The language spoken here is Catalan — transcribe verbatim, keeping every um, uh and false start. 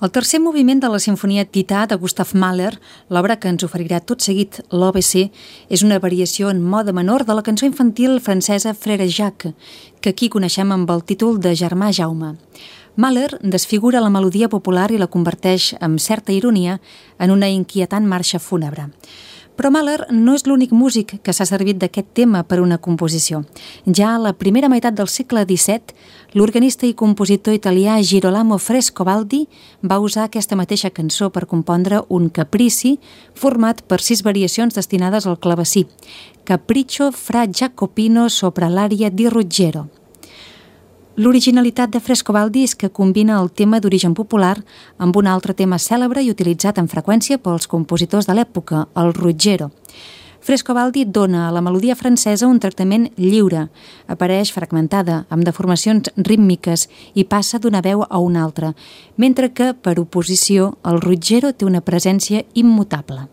El tercer moviment de la Simfonia Tità de Gustav Mahler, l'obra que ens oferirà tot seguit l'O B C, és una variació en mode menor de la cançó infantil francesa Frère Jacques, que aquí coneixem amb el títol de Germà Jaume. Mahler desfigura la melodia popular i la converteix, amb certa ironia, en una inquietant marxa fúnebre. Però Mahler no és l'únic músic que s'ha servit d'aquest tema per una composició. Ja a la primera meitat del segle disset, l'organista i compositor italià Girolamo Frescobaldi va usar aquesta mateixa cançó per compondre un caprici format per sis variacions destinades al clavecí, Capriccio fra Jacopino sopra l'aria di Ruggiero. L'originalitat de Frescobaldi és que combina el tema d'origen popular amb un altre tema cèlebre i utilitzat amb freqüència pels compositors de l'època, el Ruggiero. Frescobaldi dona a la melodia francesa un tractament lliure, apareix fragmentada, amb deformacions rítmiques i passa d'una veu a una altra, mentre que, per oposició, el Ruggiero té una presència immutable.